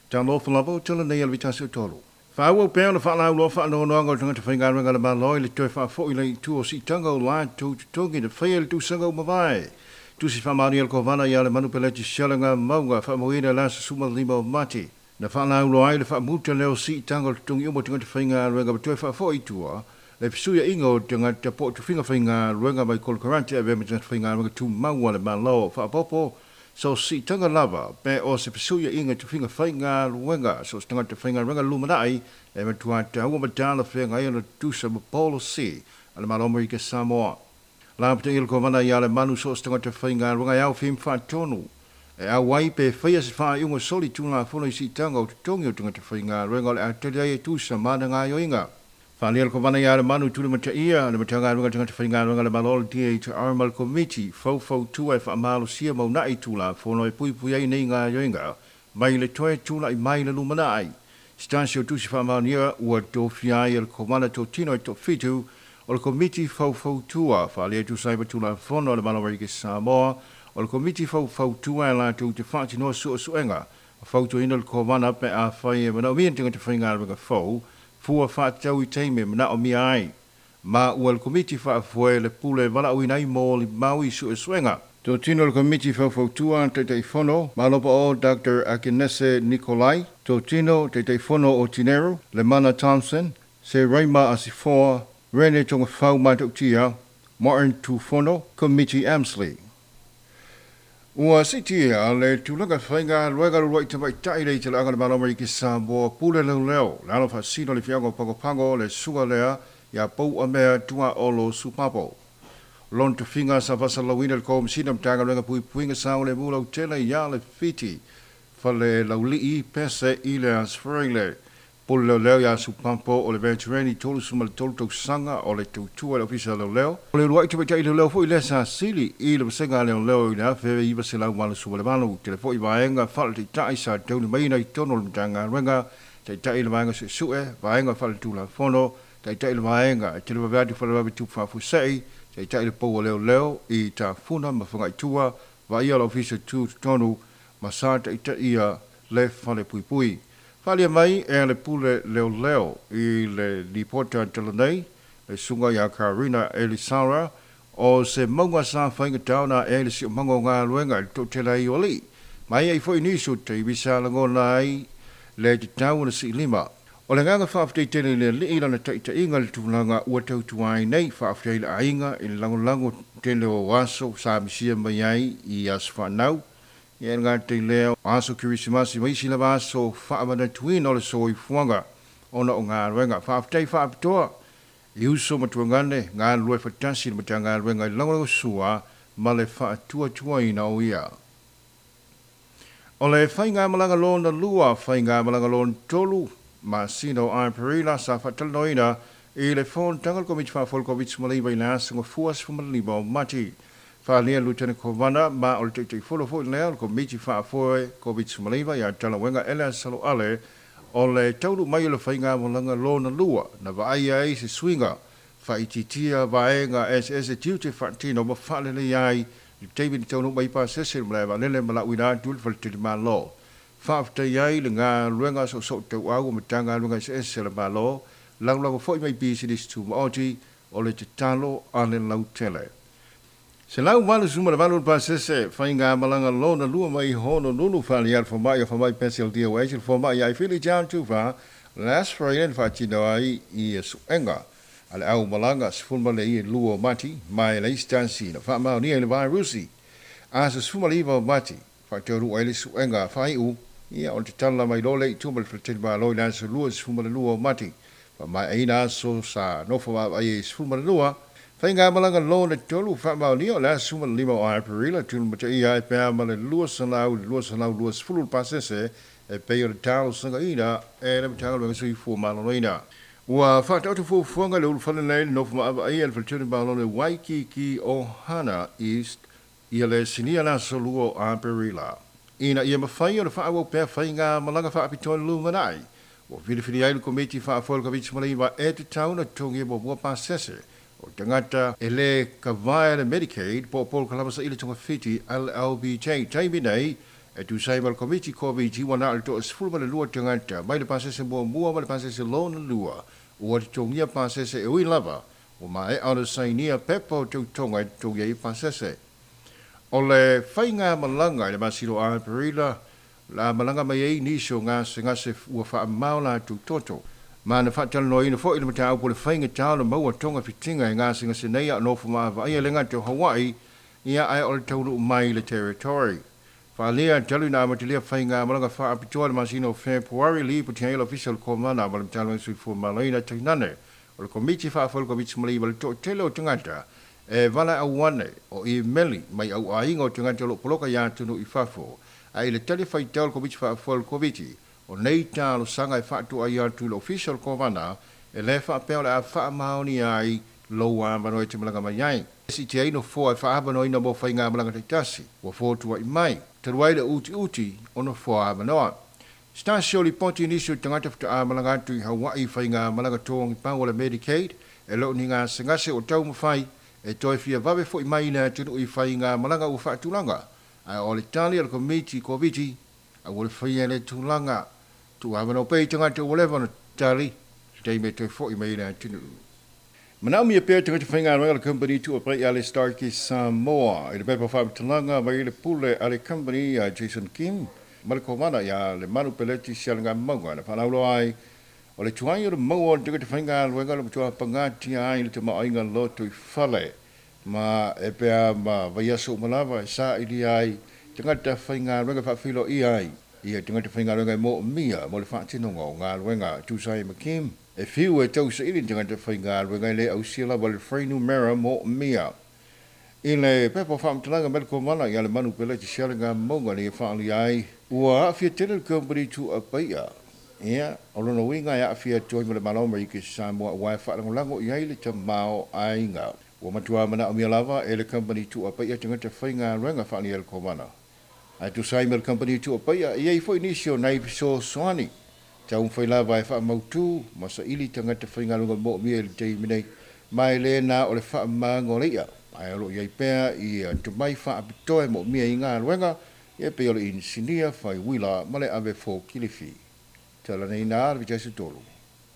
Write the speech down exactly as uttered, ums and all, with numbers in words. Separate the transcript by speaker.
Speaker 1: Talofa lava o tala nei a le vitasi o tolu. Faaauau pea ona faalauiloa faanoanoaga o tagata faigaluega a le Malo i le toe faafo'i le itu o siitaga o latou totogi na faia i le tausaga ua mavae. Tusi faamaonia le Kovana ia Lemanu Peleti Sialaga Mauga faamauina le aso sefulumalima o Mati. Na faalauiloa ai le faamuta lea o siitaga o totogi uma o tagata faigaluega ma toe faafo'i i tua le fesuiaiga o tagata po o tofiga faigaluega mai konokarate e avea ma tagata faigaluega tumau a le Malo. Faaopoopo so siitaga lava pe o se fesuiaiga tofiga faigaluega so o se tagata faigaluega lumanai e matua taua ma talafeagai ona tutusa ma policy a le Malo o Amerika Samoa. Lapataia le Kovana ia Lemanu so o se tagata faigaluega e aofia ma faatonu e auai pe faia se faaiuga soli tulafono i siitaga o totogi o tagata faigaluega o le a tali ai e tusa ma ana gaoioiga. Faaalia le Kovana ia Lemanu tulimataia le Matagaluega tagata faigaluega le Malo le D H R ma le Komiti faufautua e faamalosia ma uunai tulafono e puipui ai nei gaoioiga mai le toe tula'i mai le lumanai. Se tasi o tusi faamaonia ua tofia ai e le Kovana totino e toafitu o le Komiti faufautua faaalia e tusa ai ma tulafono a le Malo o Amerika Samoa. O le Komiti faufautua e latou te faatinoa suesuega fautuaina le Kovana pe afai e manaomia ni tagata faigaluega fou fua faatatau i taimi e manaomia ai ma ua le Komiti faafoe le pule valaauina ai molimau i suesuega. Totino le Komiti faufautua: Taitaifono Malopa o Doctor Akenese Nikolai, totino Taitaifono o Tinero Lemana Thompson, Se Raima Asifoa, Rene Togafau Matautia, Martin Tufono, Komiti Amsley. Ua siitia le tulaga faigaluega uluai tamaitai le talaaga le Malo Amerika Samoa pule leoleo le alo faasino le afioaga o Pago Pago le susuga lea ia Pouamea Tuaolo Supapo. Lona tofiga sa faasalalauina le Komesina o Matagaluega Puipuiga Saogalemu Lautele ia le Fiti Fale Laulii Pese i le Aso Faraile. Pule leoleo ia Supapo o le veterani tolusefulumatolu tausaga o le tautua i le Ofisa Leoleo. O le uluai tamaitai leoleo foi lea sa sili i le vasega leoleo i le afe iva selau valusefuluvalu. Tele foi vaega faaletaitai sa taulimaina i totonu o le Matagaluega: taitai le vaega suesue, vaega faaletulafono, taitai le vaega e televave atu faalavelave tupu faafuasei, taitai le pou o leoleo i Tafuna ma Fagaitua, vaaia le Ofisa Tutotonu ma sa taitaia le fale puipui. Faaalia mai e le pule leoleo i le lipota talanei le susuga ia Karina Elisara o se mauga sa faigatā ona ae le siosiomaga o galuega i le toatele ai o alii ma ai foi nisi o taimi sa lagona ai le tatau ona siilima. O le agaga faafetai tele i le Alii lana taitaiga i le tulaga ua tautua ai nei. Faafetai i le aiga i le lagolago tele o aso sa misia mai ai i aso fanau ia le gata i lea o aso Kerisimasi ma isi lava aso faamanatuina o le soifuaga ona o galuega. Faafetai faapitoa i uso ma tuagane galulue faatasi i le Matagaluega i le lagolagosua ma le faatuatuaina o ia. O le faigamalaga lona lua, faigamalaga lona tolu, masina o Aperila sa faatalanoaina i le fonotaga le Komiti Faafoe Koviti sefulumalima i le aso Gafua sefulumalima o Mati. Faaalia Lutena Kovana ma o le Taitaifono foi lea o le Komiti Faafoe Koviti sefulumalima ia Talauega Ele Saloale o le taunuu mai o le faigamalaga lona lua na vaaia ai se suiga faaitiitia vaega eseese tiute faatino ma faaleleia ai le taimi na taunuu mai pasese le malae vaalele ma lauina atu le faletalimalo. Faafetai ai le galuega soosoo tauau o Matagaluega eseese le Malo, lagolago foi mai pisinisi tumaoti o le tatalo a le lautele. Selau valu suma le valu le pasese faigamalaga lona lua mai Honolulu. Faaalia le fomai o fomai Pencil D O H le fomai ia Fili John Tufa last Friday na faatino ai i suega a le aumalaga sefulu ma le ia lua o Mati ma e leai se tasi na faamaonia i le vairusi. Aso sefulumalima o Mati faataunuu ai le suega faaiu ia o le tatala mai loa lea i tua ma le faletalimalo i le aso luasefulumalua o Mati faamaeaina aso sa nofo vaavaai ai sefulumalua. Faigamalaga lona tolu faamaonia o le aso sefulumalima o Aperila tulimataia ai pea ma le lua selau i le lua selau luasefulu le pasese e pei o le talosagaina e le Matagaluega Soifua Maloloina. Ua faataoto fuafuaga le ulufale nei le nofo maavaai a le faletalimalo le Waikiki Ohana East ia le sinia le aso lua o Aperila ina ia mafai o le faaauau pea faigamalaga faapitoa le lumanai. Ua filifili ai le Komiti Faafoe o le Koviti sefulumalima e tatau ona totogi muamua pasese o tagata e lē kavae le Medicaid po o polokalama saili togafiti L L B J. Taimi nei E tusai ma le Komiti Koviti ua na o le toasefulu ma le lua tagata mai le pasese muamua ma le pasese lona lua ua totogia pasese e ui lava ua maea ona sainia pepa o tautoga e totogia ai pasese. O le faiga malaga i le masina o Aperila la malaga mai ai nisi o gasegase ua faamao latou toto. Ma na faatalanoaina foi le mataupu o le faigatā o le maua togafitiga e gasegase nei a o nofo maavaai le gata o Hawaii ia ae o le taunuu mai le territory. Faalea talu ina amatalia faiga malaga faapitoa le masina o Fepuari lipoti ai le Ofisa o le Komana ma le Matagaluega Soifua Maloloina tainane o le Komiti Faafoe o le Koviti ma le toatele o tagata e valaau ane o imeli mai auaiga o tagata o loo poloka iā atunuu i fafo. Ae i le tali faitau le Komiti Faafoe o le Koviti o nei talosaga e faatoai atu i le Ofisa o le Kovana e lē faapea o le a faamaonia ai lou avanoa e te malaga mai ai. Siitia ai nofoa e faaavanoaina mo faigamalaga taitasi ua fotua'i mai talu ai le utiuti o nofoa avanoa. Se tasi o lipoti i nisi o tagata faatoa malaga atu i Hawaii i faigamalaga togipau o le Medicaid e le o ni gasegase o taumafai e toe fia vave fo'i mai i le atunuu i faigamalaga ua faatulaga. Ae o le tali a le Komiti Koviti aua le faia le tulaga tuuavanoa pea i tagata ua leva ona tali se taimi e toe fo'i mai i le atunuu. Manaomia pea tagata faigaluega le company tuuapai a le Starkey Samoa i le pepa faamatalaga mai le pule a le company a Jason Kim ma le Komana ia le Manu Peleti Sialigamauga na faalauloa ai o le tuai o le maua o le tagata faigaluega le matua pagatia ai le tamaoaiga loto i fale ma e pea ma vaiaso uma lava e sailia ai tagata faigaluega faafeiloaia ai ia tagata faigaluega e moomia mo le faatinoga o galuega. Tusa ai ma Kim e fiu e tausaili tagata faigaluega e le ausia lava le fuainumera moomia. I le pepa faamatalaga mai le Komana ia le Manu Peleti Sialigamauga le faaalia ai ua aafia tele le company tuuapaia ia o lona uiga e aafia atu ai ma le Malo Amerika Samoa ua e faalagolago i ai le tamaoaiga. Ua matua manaomia lava e le company tuuapaia tagata faigaluega faaalia le Komana. Ae tusa ai ma le company tuuapaia e i ai foi nisi o nai fesoasoani taumafai lava e faamautū ma saili tagata faigaluega moomia i le taimi nei ma e lē na o le faamagoleia ae o loo i ai pea i tomai faapitoa e moomia i galuega ia pei o le inisinia faiuila ma le ave fokilifi. Talaneina le Vitiaso tolu.